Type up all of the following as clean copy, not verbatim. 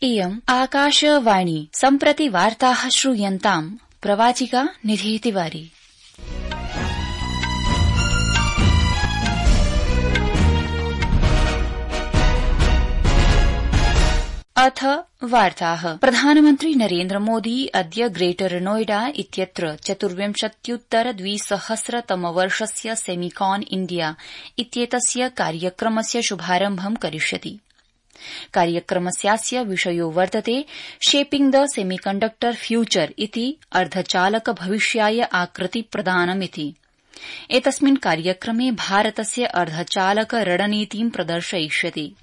इयम् आकाशवाणी सम्प्रति वार्ताः श्रूयन्ताम् प्रवाचिका निधि तिवारी। अथ वार्ताः। प्रधानमन्त्री नरेन्द्र मोदी अद्य ग्रेटर नोएडा इत्यत्र 24-2000-तमवर्षस्य सेमिकॉन इंडिया इत्येतस्य कार्यक्रमस्य शुभारम्भं करिष्यति। कार्यक्रमस्यास्य विषयो वर्तते शेपिंग द सेमीकंडक्टर फ्यूचर इति अर्धचालक भविष्याय आकृति प्रदानमिति। एतस्मिन् कार्यक्रमे भारतस्य अर्धचालक रणनीतिं प्रदर्शयिष्यति,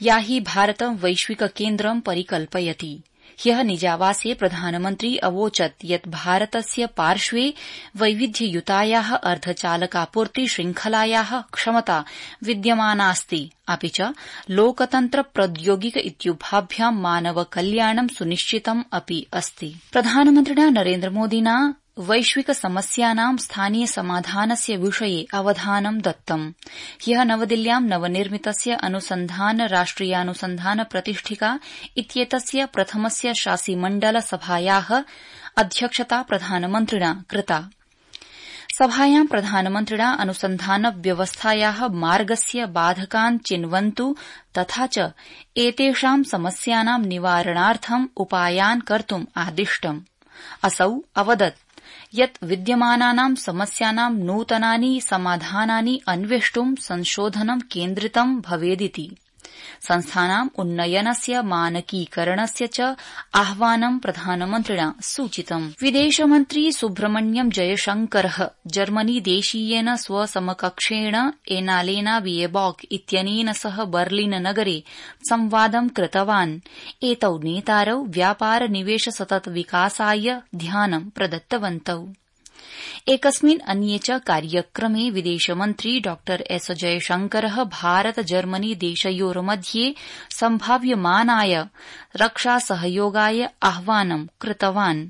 या हि भारतं वैश्विक केन्द्रं परिकल्पयति। ह्यः निजावासे प्रधानमन्त्री अवोचत् यत् भारतस्य पार्श्वे वैविध्ययुतायाः अर्धचालकापूर्ति श्रृंखलायाः क्षमता विद्यमानास्ति, अपि च लोकतन्त्र प्रौद्योगिक इत्युभाभ्यां मानव कल्याणं सुनिश्चितम् अपि अस्ति। प्रधानमन्त्रिणा नरेन्द्र मोदिना वैश्विक समस्यानां स्थानीय समाधानस्य विषये अवधानं दत्तम्। ह्यः नवदिल्ल्यां नवनिर्मितस्य अनुसन्धान राष्ट्रियानुसन्धान प्रतिष्ठिका इत्येतस्य प्रथमस्य शासिमण्डल सभायाः अध्यक्षता प्रधानमन्त्रिणा कृता। सभायां प्रधानमन्त्रिणा अनुसन्धान व्यवस्थायाः मार्गस्य बाधकान् चिन्वन्तु तथा च एतेषां समस्यानां निवारणार्थम् उपायान् कर्तुम् आदिष्टम्। असौ अवदत् यत् विद्यमानानां समस्यानां नूतनानि समाधानानि अन्वेष्टुं संशोधनं केन्द्रितं भवेदिति। संस्थानाम् उन्नयनस्य मानकीकरणस्य च आह्वानं प्रधानमन्त्रिणा सूचितम्। विदेशमन्त्री सुब्रह्मण्यम् जयशंकरः जर्मनीदेशीयेन स्वसमकक्षेण एनालेना बिएबॉक इत्यनेन सह बर्लिन नगरे संवादं कृतवान्। एतौ नेतारौ व्यापार निवेश सतत विकासाय ध्यानं प्रदत्तवन्तौ। एकस्मिन् अन्ये च कार्यक्रमे विदेशमन्त्री डॉ एस जयशंकरः भारत जर्मनी देशयोर्मध्ये सम्भाव्यमानाय रक्षासहयोगाय आह्वानं कृतवान्,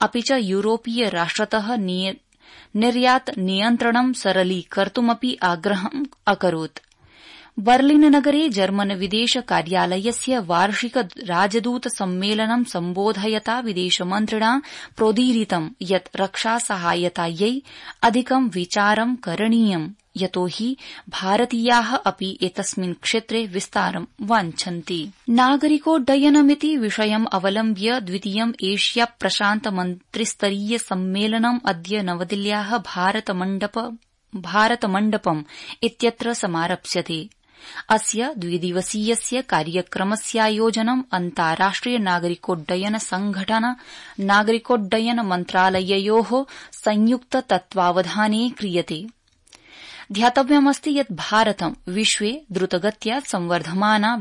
अपि च यूरोपीय राष्ट्रतः निर्यात नियन्त्रणं सरलीकर्तुमपि आग्रहम् अकरोत्। बर्लिन नगरे जर्मन विदेश कार्यालयस्य वार्षिक राजदूत सम्मेलनं सम्बोधयता विदेशमन्त्रिणा प्रोदीरितं यत् रक्षासहायतायै अधिकं विचारं करणीयम्, यतो हि भारतीयाः अपि एतस्मिन् क्षेत्रे विस्तारं वाञ्छन्ति। नागरिकोड्डयनमिति विषयम् अवलम्ब्य द्वितीयम् एशिया प्रशान्त मन्त्रिस्तरीय सम्मेलनम् अद्य नवदिल्ल्याः भारतमण्डपम् इत्यत्र समारप्स्यते। अस्य द्विदिवसीयस्य कार्यक्रमस्यायोजनम् अन्ताराष्ट्रिय नागरिकोड्डयन संघटन नागरिकोड्डयन मन्त्रालययोः संयुक्त तत्त्वावधाने क्रियते। ध्यातव्यमस्ति यत् भारतं विश्वे द्रुतगत्या संवर्धमाना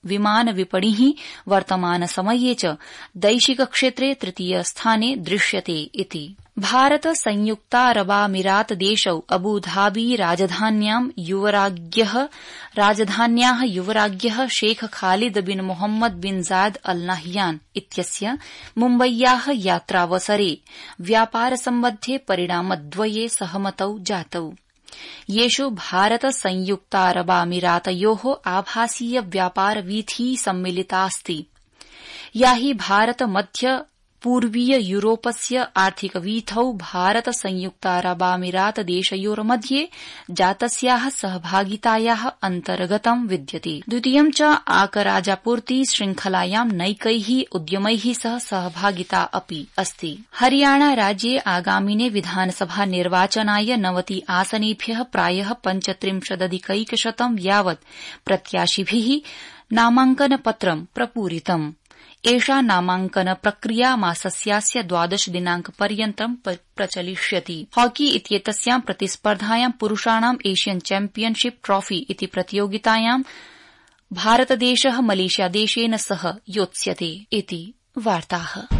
विमान विपणिः वर्तमानसमये च दैशिक क्षेत्रे तृतीय स्थाने दृश्यते इति। भारत संयुक्तारबामीरात देशौ अबुधाबी राजधान्याः युवराज्ञः Sheikh Khalid bin Mohammed bin Zayed Al Nahyan इत्यस्य मुम्बय्याः यात्रावसरे व्यापारसम्बद्धे परिणामद्वये सहमतौ जातौ, येषु भारत संयुक्तारबामीरातयोः आभासीय व्यापार वीथी सम्मिलितास्ति, या हि भारत मध्य पूर्वीय यूरोपस्य आर्थिकवीथौ भारत संयुक्तारबामीरात देशयोर्मध्ये जातस्याः सहभागितायाः अन्तर्गतं विद्यते। द्वितीयं च आकराजापूर्ति श्रृंखलायां नैकैः उद्यमैः सह सहभागिता अपि अस्ति। हरियाणा राज्ये आगामिने विधानसभा निर्वाचनाय 90 आसनेभ्यः प्रायः 35,100 यावत् प्रत्याशिभिः नामाङ्कनपत्रं प्रपूरितम्। एषा नामाङ्कन प्रक्रिया मासस्यास्य 12 दिनाङ्कपर्यन्तं प्रचलिष्यति। हॉकी इत्येतस्यां प्रतिस्पर्धायां पुरुषाणां एशियन चैम्पियनशिप ट्रॉफी इति प्रतियोगितायां भारतदेशः मलेशियादेशेन सह योत्स्यते इति वार्ताः।